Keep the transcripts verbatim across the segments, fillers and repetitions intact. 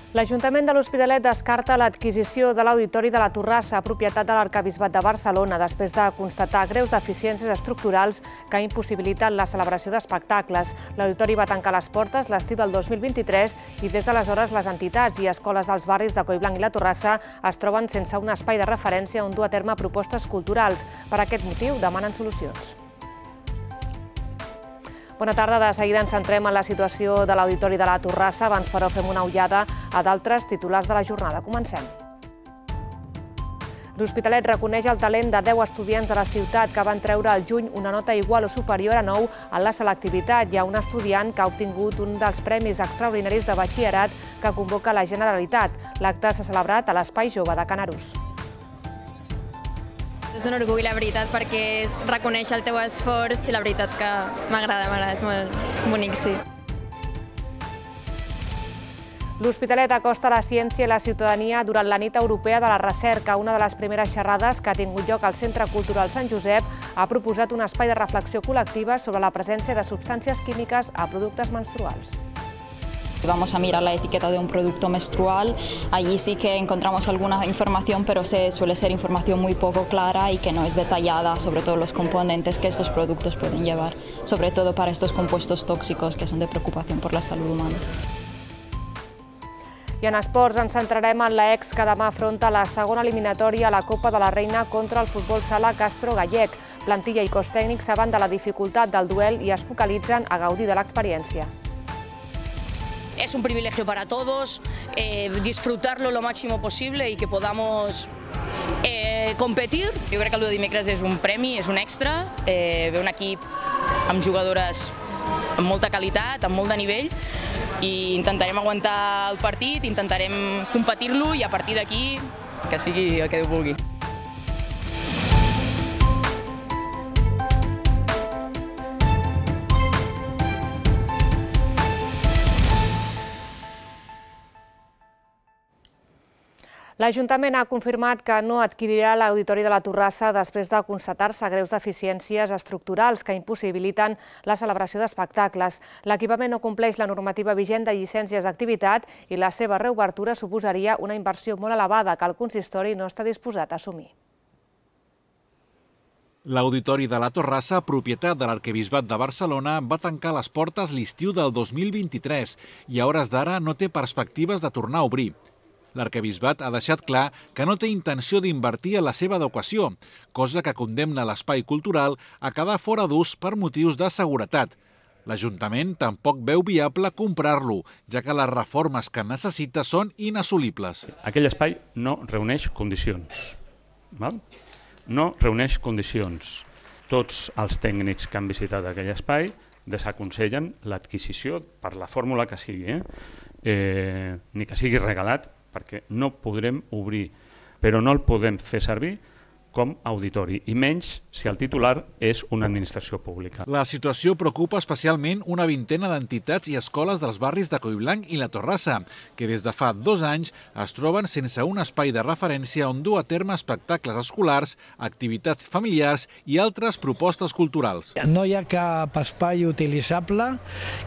L'Ajuntament de l'Hospitalet descarta l'adquisició de l'Auditori de la Torrassa, propietat de l'Arquebisbat de Barcelona, després de constatar greus deficiències estructurals que impossibiliten la celebració d'espectacles. L'Auditori va tancar les portes l'estiu del dos mil vint-i-tres i des d'aleshores les entitats i escoles dels barris de Collblanc i la Torrassa es troben sense un espai de referència on dur a terme propostes culturals. Per aquest motiu demanen solucions. Bona tarda. De seguida ens centrem en la situació de l'Auditori de la Torrassa. Abans, però, fem una ullada a d'altres titulars de la jornada. Comencem. L'Hospitalet reconeix el talent de deu estudiants de la ciutat que van treure al juny una nota igual o superior a nou en la selectivitat. Hi ha un estudiant que ha obtingut un dels premis extraordinaris de batxillerat que convoca la Generalitat. L'acte s'ha celebrat a l'Espai Jove de Can Arús. És un orgull, la veritat, perquè és reconèixer el teu esforç i la veritat que m'agrada, m'agrada, és molt bonic, sí. L'Hospitalet acosta la ciència i la ciutadania durant la Nit Europea de la Recerca. Una de les primeres xerrades que ha tingut lloc al Centre Cultural Sant Josep ha proposat un espai de reflexió col·lectiva sobre la presència de substàncies químiques a productes menstruals. Vamos a mirar la etiqueta de un producto menstrual, allí sí que encontramos alguna información, pero se suele ser información muy poco clara y que no es detallada sobre todos los componentes que estos productos pueden llevar, sobre todo para estos compuestos tóxicos que son de preocupación por la salud humana. I en esports ens centrarem en l'ex que demà afronta la segona eliminatòria a la Copa de la Reina contra el futbol sala Castro Gallec. Plantilla i cos tècnic saben de la dificultat del duel i es focalitzen a gaudir de l'experiència. Es un privilegio para todos, eh, disfrutarlo lo máximo posible y que podamos eh, competir. Jo crec que el de dimecres és un premi, és un extra, eh, ve un equip amb jugadores amb molta qualitat, amb molt de nivell, i intentarem aguantar el partit, intentarem competir-lo i a partir d'aquí que sigui el que Déu vulgui. L'Ajuntament ha confirmat que no adquirirà l'Auditori de la Torrassa després de constatar-se greus deficiències estructurals que impossibiliten la celebració d'espectacles. L'equipament no compleix la normativa vigent de llicències d'activitat i la seva reobertura suposaria una inversió molt elevada que el consistori no està disposat a assumir. L'Auditori de la Torrassa, propietat de l'Arquebisbat de Barcelona, va tancar les portes l'estiu del dos mil vint-i-tres i a hores d'ara no té perspectives de tornar a obrir. L'Arquebisbat ha deixat clar que no té intenció d'invertir en la seva adequació, cosa que condemna l'espai cultural a quedar fora d'ús per motius de seguretat. L'Ajuntament tampoc veu viable comprar-lo, ja que les reformes que necessita són inassolibles. Aquell espai no reuneix condicions. Val? No reuneix condicions. Tots els tècnics que han visitat aquell espai desaconsellen l'adquisició per la fórmula que sigui, eh? Eh, ni que sigui regalat, perquè no podrem obrir, però no el podem fer servir com auditori, i menys si el titular és una administració pública. La situació preocupa especialment una vintena d'entitats i escoles dels barris de Collblanc i la Torrassa, que des de fa dos anys es troben sense un espai de referència on dur a terme espectacles escolars, activitats familiars i altres propostes culturals. No hi ha cap espai utilitzable.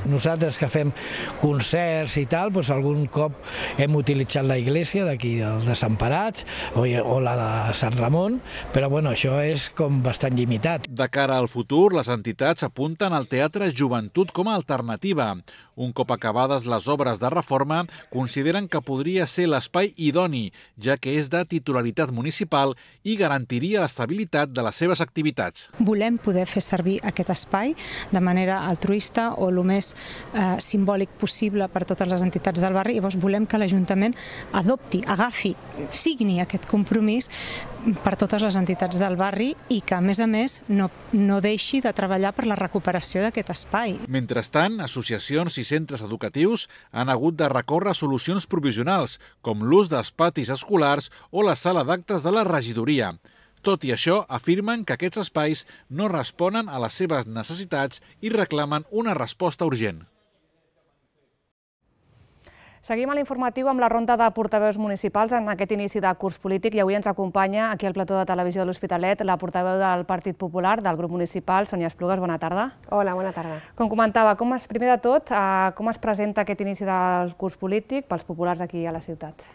Nosaltres que fem concerts i tal, doncs algun cop hem utilitzat la iglesia d'aquí, els Desemparats, o la de Sant Ramon, però bueno, això és com bastant limitat. De cara al futur, les entitats apunten al Teatre Joventut com a alternativa. Un cop acabades les obres de reforma, consideren que podria ser l'espai idoni, ja que és de titularitat municipal i garantiria l'estabilitat de les seves activitats. Volem poder fer servir aquest espai de manera altruista o el més eh, simbòlic possible per totes les entitats del barri, i llavors volem que l'Ajuntament adopti, agafi, signi aquest compromís per totes les entitats del barri i que, a més a més, no, no deixi de treballar per la recuperació d'aquest espai. Mentrestant, associacions i centres educatius han hagut de recórrer solucions provisionals, com l'ús dels patis escolars o la sala d'actes de la regidoria. Tot i això, afirmen que aquests espais no responen a les seves necessitats i reclamen una resposta urgent. Seguim a l'informatiu amb la ronda de portaveus municipals en aquest inici de curs polític i avui ens acompanya aquí al plató de televisió de l'Hospitalet la portaveu del Partit Popular del grup municipal, Sònia Esplugues. Bona tarda. Hola, bona tarda. Com comentava, com es, primer de tot, eh, com es presenta aquest inici del curs polític pels populars aquí a la ciutat?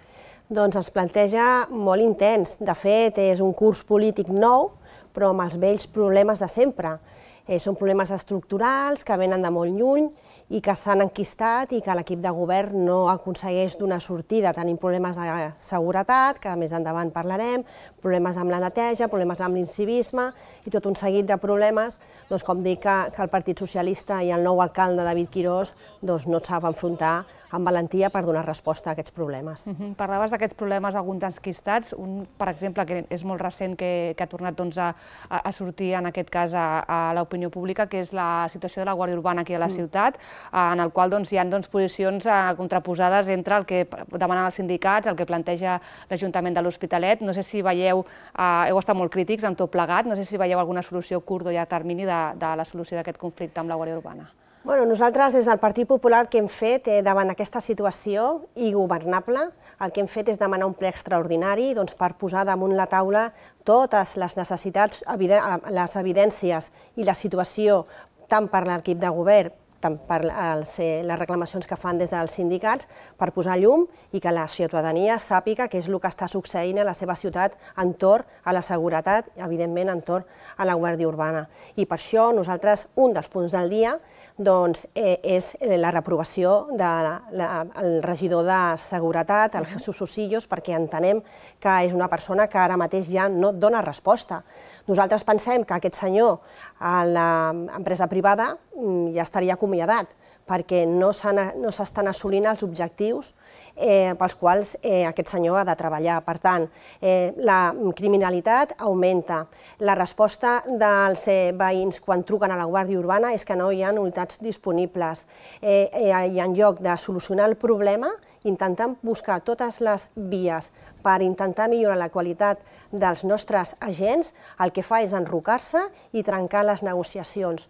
Doncs es planteja molt intens. De fet, és un curs polític nou, però amb els vells problemes de sempre. Eh, són problemes estructurals que venen de molt lluny i que s'han enquistat i que l'equip de govern no aconsegueix donar sortida. Tenim problemes de seguretat, que més endavant parlarem, problemes amb la neteja, problemes amb l'incivisme i tot un seguit de problemes, doncs, com dic, que, que el Partit Socialista i el nou alcalde David Quirós doncs, no sap enfrontar amb valentia per donar resposta a aquests problemes. Uh-huh. Parlaves d'aquests problemes, alguns enquistats, un, per exemple, que és molt recent, que, que ha tornat doncs, a, a sortir en aquest cas a, a l'opinió pública, que és la situació de la Guàrdia Urbana aquí a la ciutat, en el qual doncs, hi ha doncs, posicions eh, contraposades entre el que demanen els sindicats, el que planteja l'Ajuntament de l'Hospitalet. No sé si veieu, eh, heu estat molt crítics en tot plegat, no sé si veieu alguna solució a curt o llarg termini de, de la solució d'aquest conflicte amb la Guàrdia Urbana. Bueno, nosaltres, des del Partit Popular, el que hem fet eh, davant aquesta situació ingovernable, el que hem fet és demanar un ple extraordinari doncs, per posar damunt la taula totes les necessitats, les evidències i la situació, tant per l'equip de govern, tant per les, eh, les reclamacions que fan des dels sindicats, per posar llum i que la ciutadania sàpiga què és el que està succeint a la seva ciutat entorn a la seguretat, evidentment entorn a la Guàrdia Urbana. I per això nosaltres, un dels punts del dia doncs, eh, és la reprovació del regidor de Seguretat, el Jesús Osillos, perquè entenem que és una persona que ara mateix ja no dona resposta. Nosaltres pensem que aquest senyor a l'empresa privada ja estaria acomiadat, perquè no s'estan assolint els objectius eh, pels quals eh, aquest senyor ha de treballar. Per tant, eh, la criminalitat augmenta. La resposta dels eh, veïns quan truquen a la Guàrdia Urbana és que no hi ha unitats disponibles. Eh, eh, I en lloc de solucionar el problema, intentant buscar totes les vies per intentar millorar la qualitat dels nostres agents, el que fa és enrocar-se i trencar les negociacions.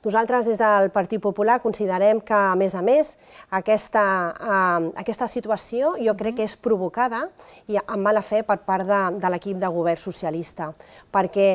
Nosaltres, des del Partit Popular, considerem que, a més a més, aquesta, eh, aquesta situació jo crec que és provocada i amb mala fe per part de, de l'equip de govern socialista, perquè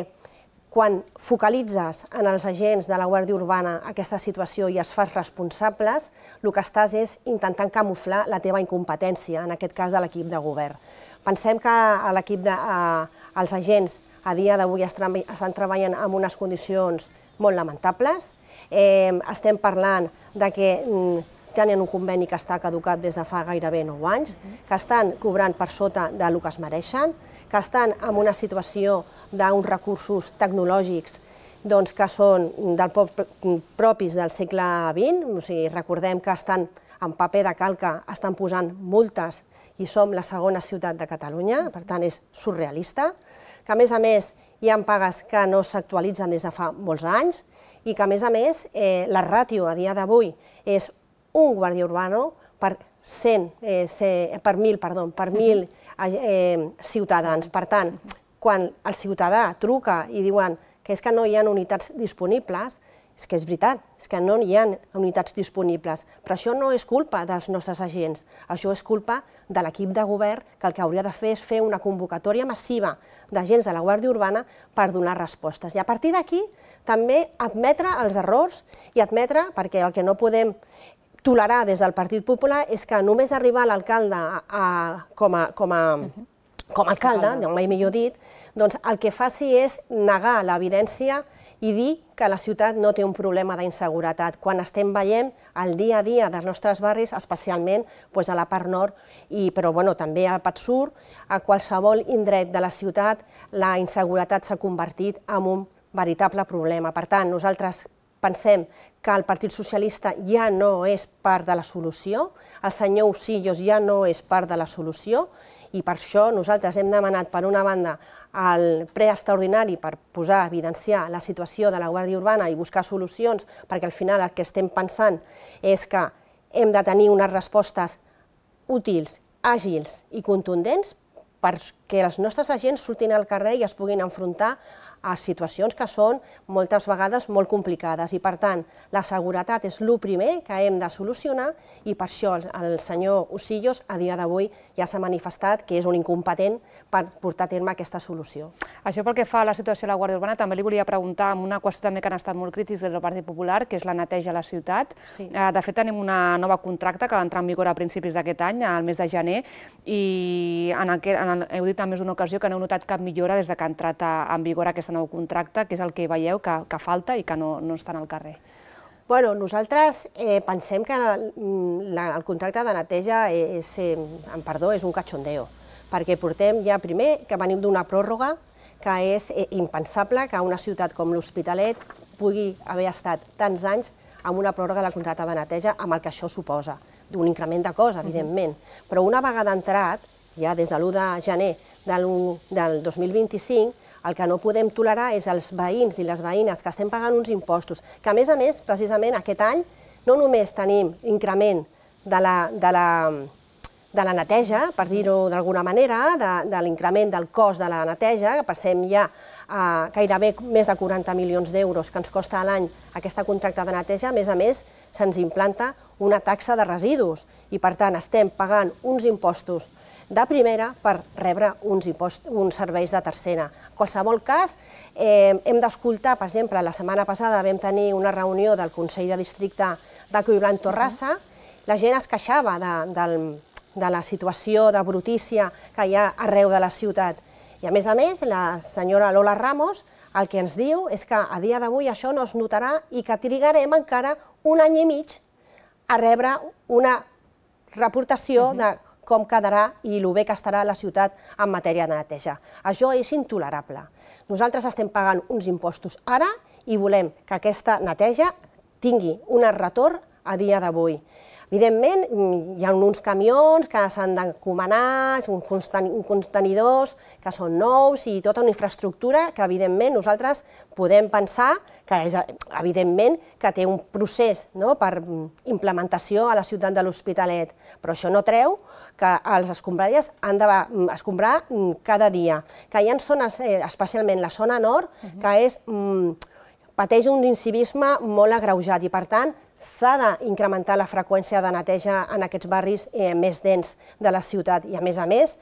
quan focalitzes en els agents de la Guàrdia Urbana aquesta situació i es fas responsables, el que estàs és intentant camuflar la teva incompetència, en aquest cas de l'equip de govern. Pensem que l'equip de, eh, els agents a dia d'avui estan treballant en unes condicions molt lamentables. Eh, estem parlant de que mm, tenen un conveni que està caducat des de fa gairebé nou anys, que estan cobrant per sota del que es mereixen, que estan en una situació d'uns recursos tecnològics doncs, que són del propis del segle vint, o sigui, recordem que estan en paper de calca, estan posant multes i som la segona ciutat de Catalunya, per tant és surrealista, que a més a més hi ha pagues que no s'actualitzen des de fa molts anys i que a més a més eh, la ràtio a dia d'avui és un guàrdia urbano per cent, eh, per mil, perdó, per mil eh, ciutadans. Per tant, quan el ciutadà truca i diuen que és que no hi ha unitats disponibles, és que és veritat, és que no hi ha unitats disponibles, però això no és culpa dels nostres agents, això és culpa de l'equip de govern que el que hauria de fer és fer una convocatòria massiva d'agents de la Guàrdia Urbana per donar respostes. I a partir d'aquí també admetre els errors i admetre, perquè el que no podem tolerar des del Partit Popular és que només arribar l'alcalde com a... com a com a alcalde, mai millor dit, doncs el que faci és negar l'evidència i dir que la ciutat no té un problema d'inseguretat, quan estem veient el dia a dia dels nostres barris, especialment a la part nord, però també al Pat Sur, a qualsevol indret de la ciutat, la inseguretat s'ha convertit en un veritable problema. Per tant, nosaltres pensem que el Partit Socialista ja no és part de la solució, el senyor Osillos ja no és part de la solució, i per això nosaltres hem demanat, per una banda, el ple extraordinari per posar, evidenciar la situació de la Guàrdia Urbana i buscar solucions, perquè al final el que estem pensant és que hem de tenir unes respostes útils, àgils i contundents, que els nostres agents surtin al carrer i es puguin enfrontar a situacions que són moltes vegades molt complicades i, per tant, la seguretat és el primer que hem de solucionar i per això el senyor Osillos a dia d'avui ja s'ha manifestat que és un incompetent per portar a terme aquesta solució. Això pel que fa a la situació de la Guàrdia Urbana, també li volia preguntar amb una qüestió també que han estat molt crítics des del Partit Popular, que és la neteja a la ciutat. De fet, tenim una nova contracte que va entrar en vigor a principis d'aquest any, al mes de gener, i heu dit en més d'una ocasió que no heu notat cap millora des que ha entrat en vigor aquesta nou contracte, que és el que veieu que falta i que no estan al carrer. Bueno, nosaltres pensem que el contracte de neteja és, perdó, és un cachondeo, perquè portem ja primer que venim d'una pròrroga que és impensable que una ciutat com l'Hospitalet pugui haver estat tants anys amb una pròrroga del contracte de neteja amb el que això suposa, d'un increment de cost, evidentment, però una vegada entrat, ja des de l'u de gener del dos mil vint-i-cinc, el que no podem tolerar és els veïns i les veïnes que estem pagant uns impostos, que a més a més, precisament aquest any, no només tenim increment de la neteja, per dir-ho d'alguna manera, de l'increment del cost de la neteja, que passem ja a gairebé més de quaranta milions d'euros que ens costa a l'any aquesta contracte de neteja, a més a més se'ns implanta una taxa de residus i per tant estem pagant uns impostos de primera per rebre uns serveis de tercera. En qualsevol cas, hem d'escoltar, per exemple, la setmana passada vam tenir una reunió del Consell de Districte de Collblanc-Torrassa, la gent es queixava de la situació de brutícia que hi ha arreu de la ciutat. I a més a més, la senyora Lola Ramos el que ens diu és que a dia d'avui això no es notarà i que trigarem encara un any i mig a rebre una reportació de com quedarà i el bé que estarà la ciutat en matèria de neteja. Això és intolerable. Nosaltres estem pagant uns impostos ara i volem que aquesta neteja tingui un retorn a dia d'avui. Evidentment, hi ha uns camions que s'han d'encomanar, uns contenidors que són nous i tota una infraestructura que, evidentment, nosaltres podem pensar que, evidentment, que té un procés per implementació a la ciutat de l'Hospitalet, però això no treu que els escombraries han d'escombrar cada dia. Que hi ha zones, especialment la zona nord, que és pateix un incivisme molt agreujat i, per tant, s'ha d'incrementar la freqüència de neteja en aquests barris més dens de la ciutat. I, a més a més,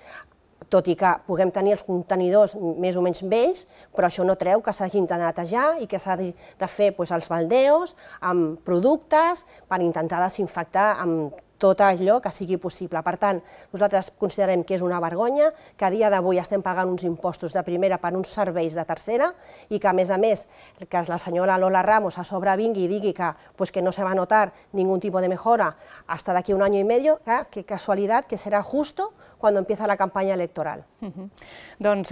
tot i que puguem tenir els contenidors més o menys vells, però això no treu que s'hagin de netejar i que s'ha de fer els baldeos amb productes per intentar desinfectar amb tot allò que sigui possible. Per tant, nosaltres considerem que és una vergonya, que a dia d'avui estem pagant uns impostos de primera per uns serveis de tercera i que, a més a més, que la senyora Lola Ramos a sobre vingui i digui que no se va a notar ningún tipo de mejora hasta d'aquí un año y medio, que casualitat, que serà justo quan empieza la campanya electoral. Doncs,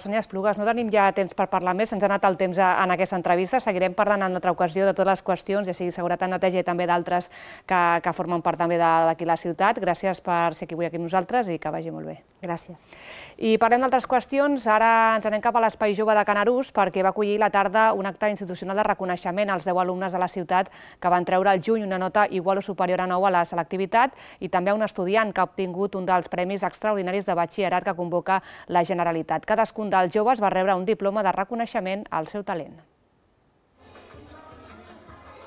Sònia Esplugues, no tenim ja temps per parlar més, ens ha anat el temps en aquesta entrevista, seguirem parlant en una altra ocasió de totes les qüestions, ja sigui seguretat, neteja i també d'altres que formen part també d'aquí la ciutat. Gràcies per ser avui aquí amb nosaltres i que vagi molt bé. Gràcies. I parlem d'altres qüestions, ara ens anem cap a l'Espai Jove de Canarús perquè va acollir la tarda un acte institucional de reconeixement als deu alumnes de la ciutat que van treure al juny una nota igual o superior a nou a la selectivitat i també a un estudiant que ha obtingut un dels premis extraordinaris de batxillerat que convoca la Generalitat. Cadascun dels joves va rebre un diploma de reconeixement al seu talent.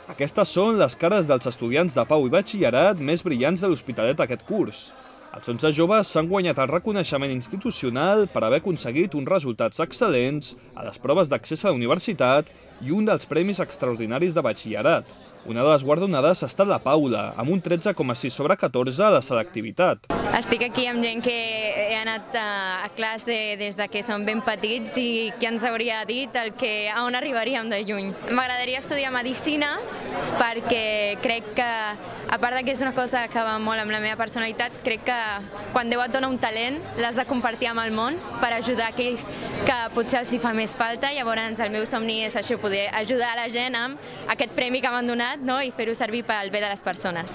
Aquestes són les cares dels estudiants de Pau i Batxillerat més brillants de l'Hospitalet aquest curs. Els onze joves s'han guanyat el reconeixement institucional per haver aconseguit uns resultats excel·lents a les proves d'accés a la universitat i un dels premis extraordinaris de batxillerat. Una de les guardonades ha estat la Paula, amb un tretze coma sis sobre catorze a la selectivitat. Estic aquí amb gent que he anat a classe des que som ben petits i que ens hauria dit el que a on arribaríem de lluny. M'agradaria estudiar Medicina perquè crec que, a part que és una cosa que va molt amb la meva personalitat, crec que quan Déu et dona un talent l'has de compartir amb el món per ajudar aquells que potser els hi fa més falta. Llavors el meu somni és això, poder ajudar la gent amb aquest premi que m'han donat i fer-ho servir pel bé de les persones.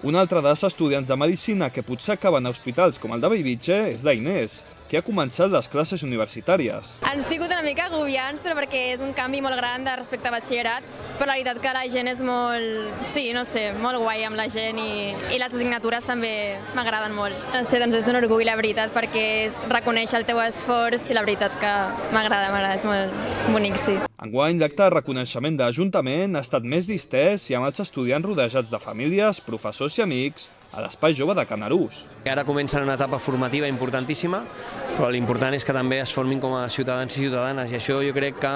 Un altre dels estudiants de Medicina que potser acaben a hospitals com el de Bellvitge és la Inés, qui ha començat les classes universitàries. Han sigut una mica agobiants, però perquè és un canvi molt gran respecte a batxillerat, però la veritat que la gent és molt, sí, no sé, molt guai amb la gent i, i les assignatures també m'agraden molt. No sé, doncs és un orgull, la veritat, perquè és reconèixer el teu esforç i la veritat que m'agrada, m'agrada, és molt bonic, sí. Enguany, l'acte de reconeixement de l'Ajuntament ha estat més distès i amb els estudiants rodejats de famílies, professors i amics a l'Espai Jove de Canarús. Ara comencen una etapa formativa importantíssima, però l'important és que també es formin com a ciutadans i ciutadanes, i això jo crec que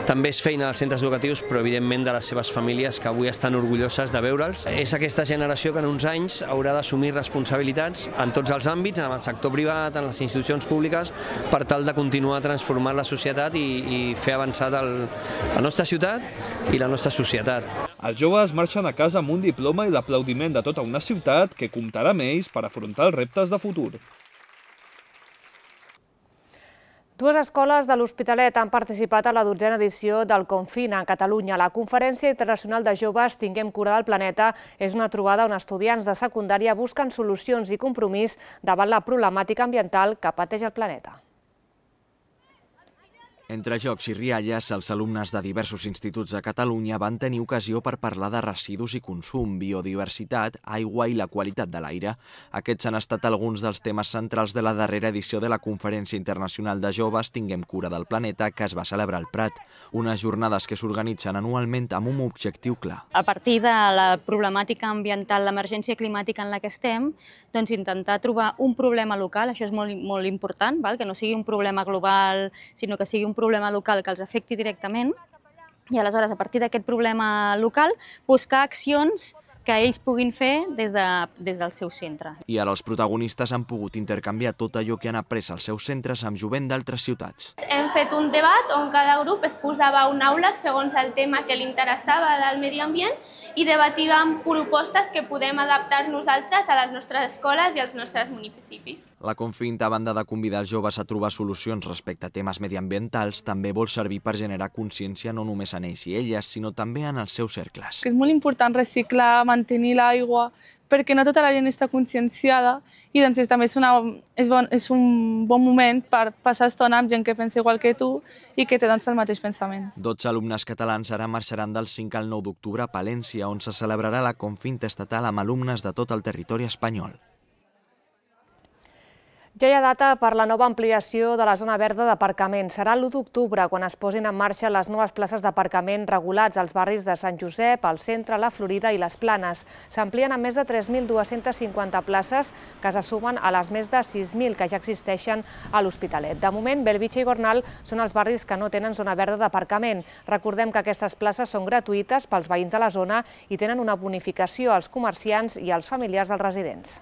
també és feina dels centres educatius, però evidentment de les seves famílies, que avui estan orgulloses de veure'ls. És aquesta generació que en uns anys haurà d'assumir responsabilitats en tots els àmbits, en el sector privat, en les institucions públiques, per tal de continuar transformant la societat i, i fer avançar el, la nostra ciutat i la nostra societat. Els joves marxen a casa amb un diploma i l'aplaudiment de tota una ciutat que comptarà amb ells per afrontar els reptes de futur. Dues escoles de l'Hospitalet han participat a la dotzena edició del Confina a Catalunya. La Conferència Internacional de Joves Tinguem Cura del Planeta és una trobada on estudiants de secundària busquen solucions i compromís davant la problemàtica ambiental que pateix el planeta. Entre jocs i rialles, els alumnes de diversos instituts de Catalunya van tenir ocasió per parlar de residus i consum, biodiversitat, aigua i la qualitat de l'aire. Aquests han estat alguns dels temes centrals de la darrera edició de la Conferència Internacional de Joves Tinguem Cura del Planeta, que es va celebrar al Prat. Unes jornades que s'organitzen anualment amb un objectiu clar. A partir de la problemàtica ambiental, l'emergència climàtica en la que estem, doncs intentar trobar un problema local, això és molt, molt important, val? Que no sigui un problema global, sinó que sigui un problema local que els afecti directament, i aleshores, a partir d'aquest problema local, buscar accions que ells puguin fer des, de, des del seu centre. I ara els protagonistes han pogut intercanviar tot allò que han après als seus centres amb jovent d'altres ciutats. Hem fet un debat on cada grup es posava a una aula segons el tema que li interessava del medi ambient i debatíem propostes que podem adaptar nosaltres a les nostres escoles i als nostres municipis. La Confinta, a banda de convidar els joves a trobar solucions respecte a temes mediambientals, també vol servir per generar consciència no només en ells i elles, sinó també en els seus cercles. És molt important reciclar, mantenir l'aigua, perquè no tota la gent està conscienciada i doncs també és, una, és, bon, és un bon moment per passar estona amb gent que pensa igual que tu i que té doncs, els mateixos pensaments. dotze alumnes catalans ara marxaran del cinc al nou d'octubre a Palència, on se celebrarà la Confinta estatal amb alumnes de tot el territori espanyol. Ja hi ha data per la nova ampliació de la zona verda d'aparcament. Serà l'u d'octubre quan es posin en marxa les noves places d'aparcament regulats als barris de Sant Josep, el Centre, la Florida i les Planes. S'amplien a més de tres mil dues-centes cinquanta places que se sumen a les més de sis mil que ja existeixen a l'Hospitalet. De moment, Bellvitge i Gornal són els barris que no tenen zona verda d'aparcament. Recordem que aquestes places són gratuïtes pels veïns de la zona i tenen una bonificació als comerciants i als familiars dels residents.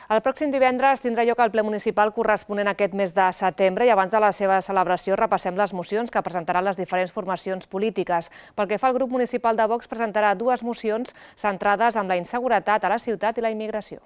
El pròxim divendres tindrà lloc el ple municipal corresponent a aquest mes de setembre i abans de la seva celebració repassem les mocions que presentaran les diferents formacions polítiques. Pel que fa al grup municipal de Vox, presentarà dues mocions centrades en la inseguretat a la ciutat i la immigració.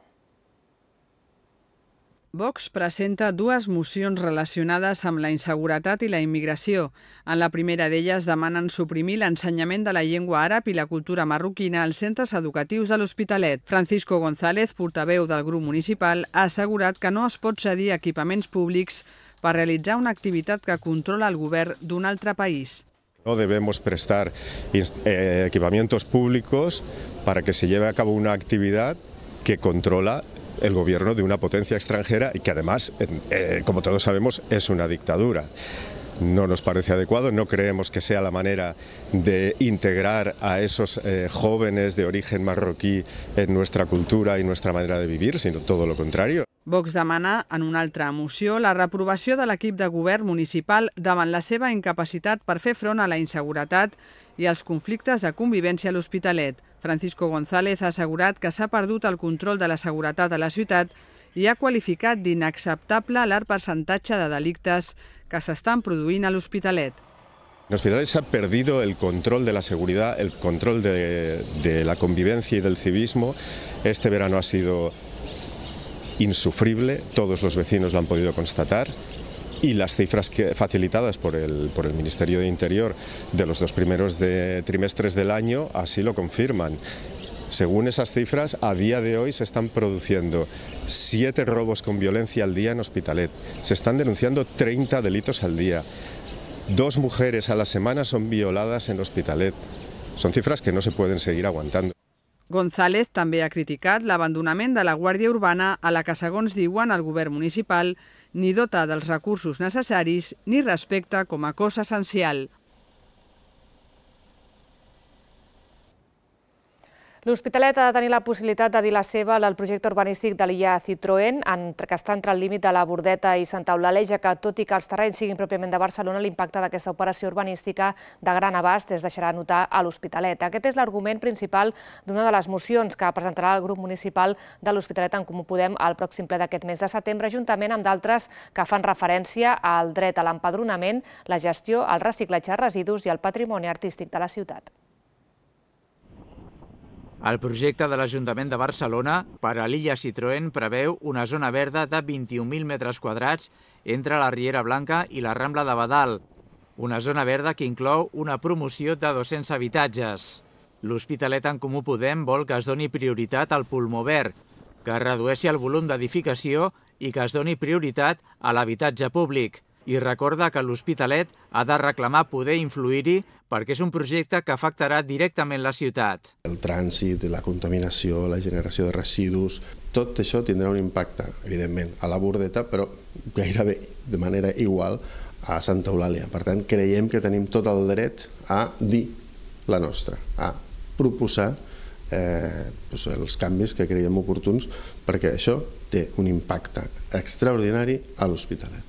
Vox presenta dues mocions relacionades amb la inseguretat i la immigració. En la primera d'elles demanen suprimir l'ensenyament de la llengua àrab i la cultura marroquina als centres educatius de l'Hospitalet. Francisco González, portaveu del grup municipal, ha assegurat que no es pot cedir equipaments públics per realitzar una activitat que controla el govern d'un altre país. No debemos prestar eh, equipamientos públicos para que se lleve a cabo una actividad que controla el gobierno de una potencia extranjera y que además, eh, como todos sabemos, es una dictadura. No nos parece adecuado, no creemos que sea la manera de integrar a esos eh, jóvenes de origen marroquí en nuestra cultura y nuestra manera de vivir, sino todo lo contrario. Vox demana, en una altra moció, la reprovació de l'equip de govern municipal davant la seva incapacitat per fer front a la inseguretat i als conflictes de convivència a l'Hospitalet. Francisco González ha assegurat que s'ha perdut el control de la seguretat a la ciutat i ha qualificat d'inacceptable l'alt percentatge de delictes que s'estan produint a l'Hospitalet. En Hospitalet se ha perdido el control de la seguridad, el control de, de la convivencia y del civismo. Este verano ha sido insufrible, todos los vecinos lo han podido constatar. y las cifras que, facilitadas por el, por el Ministerio de Interior de los dos primeros de, trimestres del año así lo confirman. Según esas cifras, a día de hoy se están produciendo siete robos con violencia al día en Hospitalet. Se están denunciando treinta delitos al día. Dos mujeres a la semana son violadas en Hospitalet. Són cifres que no se pueden seguir aguantando. González també ha criticat l'abandonament de la Guàrdia Urbana a la que, segons diuen el govern municipal, ni dota dels recursos necessaris ni respecta com a cos essencial. L'Hospitalet ha de tenir la possibilitat de dir la seva al projecte urbanístic de l'illa Citroën, que està entre el límit de la Bordeta i Santa Eulàlia, ja que, tot i que els terrenys siguin pròpiament de Barcelona, l'impacte d'aquesta operació urbanística de gran abast es deixarà notar a l'Hospitalet. Aquest és l'argument principal d'una de les mocions que presentarà el grup municipal de l'Hospitalet en Comú Podem al pròxim ple d'aquest mes de setembre, juntament amb d'altres que fan referència al dret a l'empadronament, la gestió, el reciclatge de residus i el patrimoni artístic de la ciutat. El projecte de l'Ajuntament de Barcelona per a l'illa Citroën preveu una zona verda de vint-i-un mil metres quadrats entre la Riera Blanca i la Rambla de Badal, una zona verda que inclou una promoció de dos-cents habitatges. L'Hospitalet en Comú Podem vol que es doni prioritat al pulmó verd, que es redueixi el volum d'edificació i que es doni prioritat a l'habitatge públic. I recorda que l'Hospitalet ha de reclamar poder influir-hi perquè és un projecte que afectarà directament la ciutat. El trànsit, la contaminació, la generació de residus, tot això tindrà un impacte, evidentment, a la Bordeta, però gairebé de manera igual a Santa Eulàlia. Per tant, creiem que tenim tot el dret a dir la nostra, a proposar eh, doncs els canvis que creiem oportuns, perquè això té un impacte extraordinari a l'Hospitalet.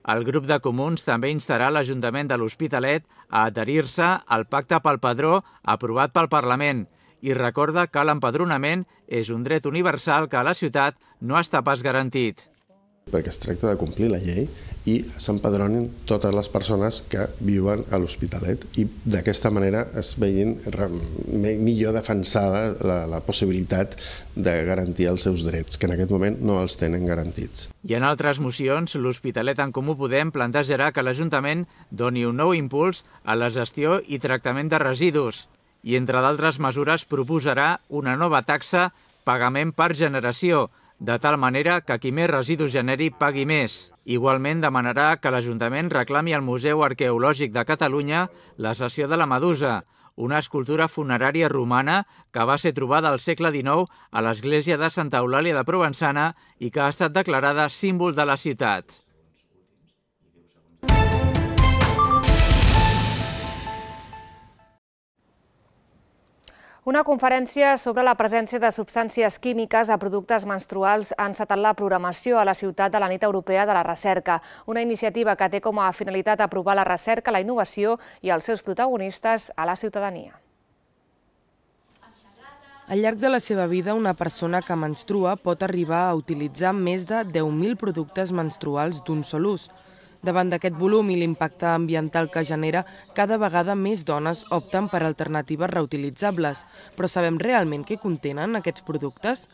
El grup de comuns també instarà l'Ajuntament de l'Hospitalet a adherir-se al pacte pel padró aprovat pel Parlament i recorda que l'empadronament és un dret universal que a la ciutat no està pas garantit. Perquè es tracta de complir la llei i s'empadronin totes les persones que viuen a l'Hospitalet i d'aquesta manera es vegin millor defensada la, la possibilitat de garantir els seus drets, que en aquest moment no els tenen garantits. I en altres mocions, l'Hospitalet en Comú Podem plantejarà que l'Ajuntament doni un nou impuls a la gestió i tractament de residus i, entre d'altres mesures, proposarà una nova taxa pagament per generació, de tal manera que qui més residus generi pagui més. Igualment demanarà que l'Ajuntament reclami al Museu Arqueològic de Catalunya la cessió de la Medusa, una escultura funerària romana que va ser trobada al segle dinou a l'església de Santa Eulàlia de Provençana i que ha estat declarada símbol de la ciutat. Una conferència sobre la presència de substàncies químiques a productes menstruals ha encetat la programació a la ciutat de la Nit Europea de la Recerca, una iniciativa que té com a finalitat aprovar la recerca, la innovació i els seus protagonistes a la ciutadania. Al llarg de la seva vida, una persona que menstrua pot arribar a utilitzar més de deu mil productes menstruals d'un sol ús. Davant d'aquest volum i l'impacte ambiental que genera, cada vegada més dones opten per alternatives reutilitzables. Però sabem realment què contenen aquests productes?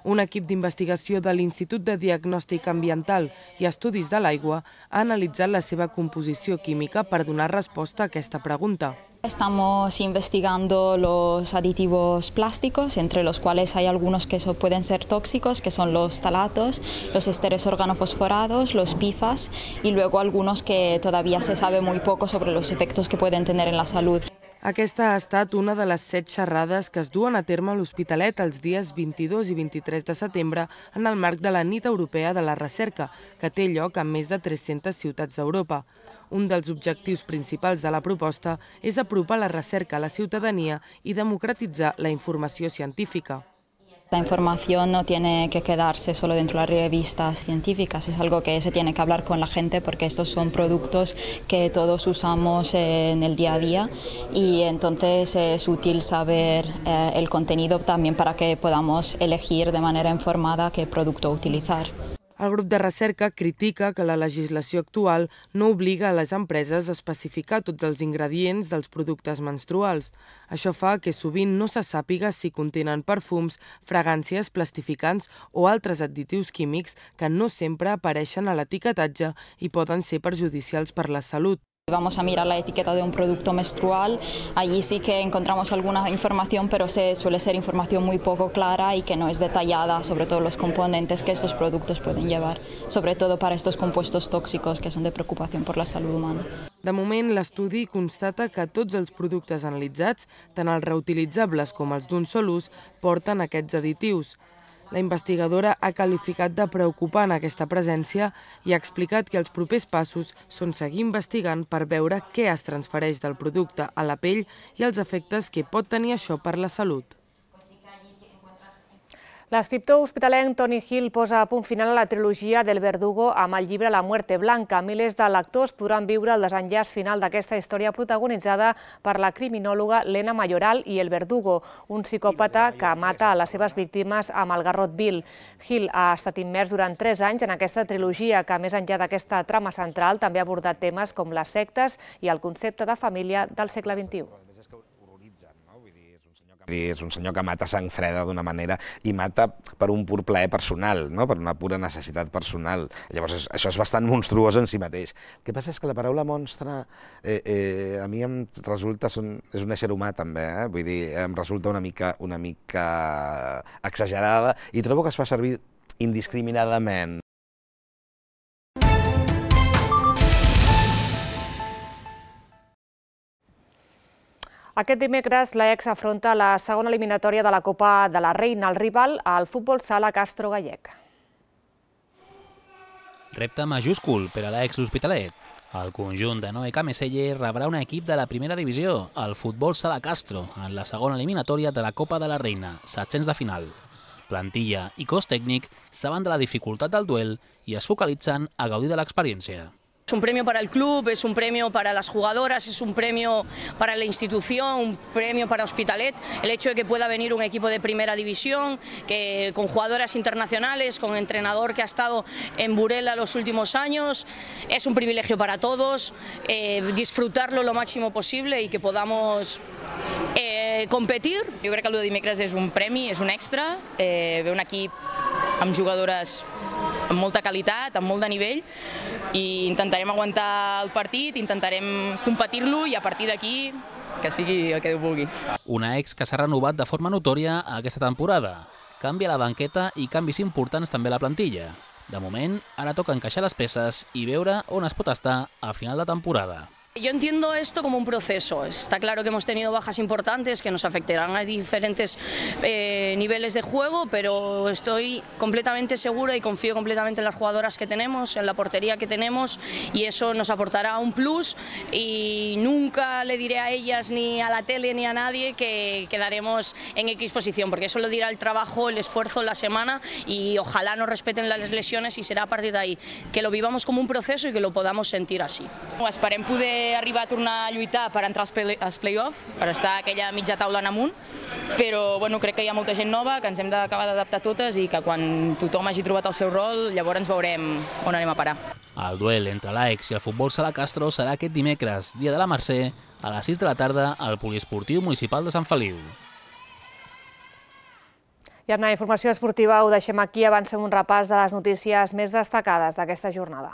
Un equip d'investigació de l'Institut de Diagnòstic Ambiental i Estudis de l'Aigua ha analitzat la seva composició química per donar resposta a aquesta pregunta. Estamos investigando los aditivos plásticos, entre los cuales hay algunos que pueden ser tóxicos, que son los talatos, los esteres organofosforados, los P F A S, y luego algunos que todavía se sabe muy poco sobre los efectos que pueden tener en la salud. Aquesta ha estat una de les set xerrades que es duen a terme a l'Hospitalet els dies vint-i-dos i vint-i-tres de setembre en el marc de la Nit Europea de la Recerca, que té lloc en més de tres-centes ciutats d'Europa. Un dels objectius principals de la proposta és apropar la recerca a la ciutadania i democratitzar la informació científica. La información no tiene que quedarse solo dentro de las revistas científicas, es algo que se tiene que hablar con la gente porque estos son productos que todos usamos en el día a día y entonces es útil saber eh, el contenido también para que podamos elegir de manera informada qué producto utilizar. El grup de recerca critica que la legislació actual no obliga a les empreses a especificar tots els ingredients dels productes menstruals. Això fa que sovint no se sàpiga si contenen perfums, fragàncies, plastificants o altres additius químics que no sempre apareixen a l'etiquetatge i poden ser perjudicials per la salut. Vamos a mirar la etiqueta de un producto menstrual, allí sí que encontramos alguna información, pero se suele ser información muy poco clara y que no es detallada sobre todos los componentes que estos productos pueden llevar, sobre todo para estos compuestos tóxicos que son de preocupación por la salud humana. De moment, l'estudi constata que tots els productes analitzats, tant els reutilitzables com els d'un sol ús, porten aquests additius. La investigadora ha qualificat de preocupant aquesta presència i ha explicat que els propers passos són seguir investigant per veure què es transfereix del producte a la pell i els efectes que pot tenir això per la salut. L'escriptor hospitalenc Tony Hill posa a punt final a la trilogia del Verdugo amb el llibre La muerte blanca. Milers de lectors podran viure el desenllaç final d'aquesta història protagonitzada per la criminòloga Lena Mayoral i el Verdugo, un psicòpata que mata a les seves víctimes amb el garrot vil. Hill ha estat immers durant tres anys en aquesta trilogia que, més enllà d'aquesta trama central, també ha abordat temes com les sectes i el concepte de família del segle vint-i-u. És un senyor que mata sang freda d'una manera i mata per un pur plaer personal, no? Per una pura necessitat personal. Llavors, això és bastant monstruós en si mateix. El que passa és que la paraula monstre eh, eh, a mi em resulta... Son, és un ésser humà, també, eh? Vull dir, em resulta una mica, una mica exagerada i trobo que es fa servir indiscriminadament. Aquest dimecres, l'Ajax afronta la segona eliminatòria de la Copa de la Reina. El rival, el Futbol Sala Castro gallec. Repte majúscul per a l'Ajax l'Hospitalet. El conjunt de Noé Cameselle rebrà un equip de la primera divisió, el Futbol Sala Castro, en la segona eliminatòria de la Copa de la Reina, setzents de final. Plantilla i cos tècnic saben de la dificultat del duel i es focalitzen a gaudir de l'experiència. Es un premio para el club, es un premio para las jugadoras, es un premio para la institución, un premio para Hospitalet. El hecho de que pueda venir un equipo de primera división, que, con jugadoras internacionales, con entrenador que ha estado en Burela los últimos años, es un privilegio para todos, eh, disfrutarlo lo máximo posible y que podamos eh, competir. Jo crec que el de dimecres és un premi, és un extra, eh, ve un equip amb jugadores amb molta qualitat, amb molt de nivell, i intentarem aguantar el partit, intentarem competir-lo i a partir d'aquí que sigui el que Déu vulgui. Una ex que s'ha renovat de forma notòria aquesta temporada. Canvia la banqueta i canvis importants també a la plantilla. De moment, ara toca encaixar les peces i veure on es pot estar a final de temporada. Yo entiendo esto como un proceso. Está claro que hemos tenido bajas importantes que nos afectarán a diferentes eh, niveles de juego, pero estoy completamente segura y confío completamente en las jugadoras que tenemos, en la portería que tenemos, y eso nos aportará un plus, y nunca le diré a ellas ni a la tele ni a nadie que quedaremos en X posición, porque eso lo dirá el trabajo, el esfuerzo, la semana, y ojalá nos respeten las lesiones y será a partir de ahí. Que lo vivamos como un proceso y que lo podamos sentir así. Esperem poder arribar a tornar a lluitar per entrar als play-off, per estar a aquella mitja taula en amunt, però bueno, crec que hi ha molta gent nova, que ens hem d'acabar d'adaptar totes i que quan tothom hagi trobat el seu rol, llavors veurem on anem a parar. El duel entre l'Ajax i el Futbol Sala Castro serà aquest dimecres, dia de la Mercè, a les sis de la tarda al Poliesportiu Municipal de Sant Feliu. I amb la informació esportiva ho deixem aquí, avancem un repàs de les notícies més destacades d'aquesta jornada.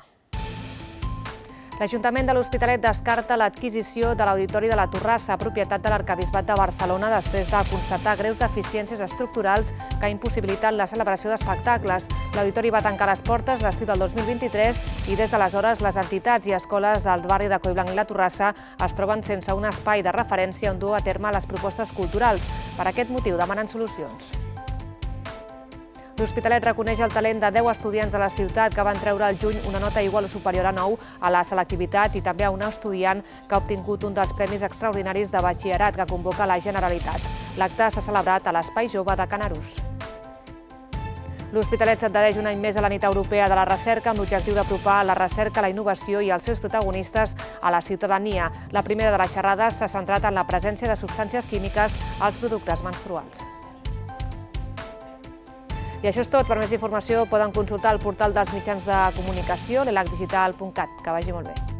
L'Ajuntament de l'Hospitalet descarta l'adquisició de l'Auditori de la Torrassa, propietat de l'Arquebisbat de Barcelona, després de constatar greus deficiències estructurals que impossibiliten la celebració d'espectacles. L'Auditori va tancar les portes l'estiu del dos mil vint-i-tres i des d'aleshores les entitats i escoles del barri de Collblanc i la Torrassa es troben sense un espai de referència on dur a terme les propostes culturals. Per aquest motiu demanen solucions. L'Hospitalet reconeix el talent de deu estudiants de la ciutat que van treure al juny una nota igual o superior a nou a la selectivitat i també a un estudiant que ha obtingut un dels premis extraordinaris de batxillerat que convoca la Generalitat. L'acte s'ha celebrat a l'Espai Jove de Canarús. L'Hospitalet s'adhereix un any més a la nit europea de la recerca amb l'objectiu d'apropar la recerca, la innovació i els seus protagonistes a la ciutadania. La primera de les xerrades s'ha centrat en la presència de substàncies químiques als productes menstruals. I això és tot. Per més informació poden consultar el portal dels mitjans de comunicació, l'elac digital punt cat. Que vagi molt bé.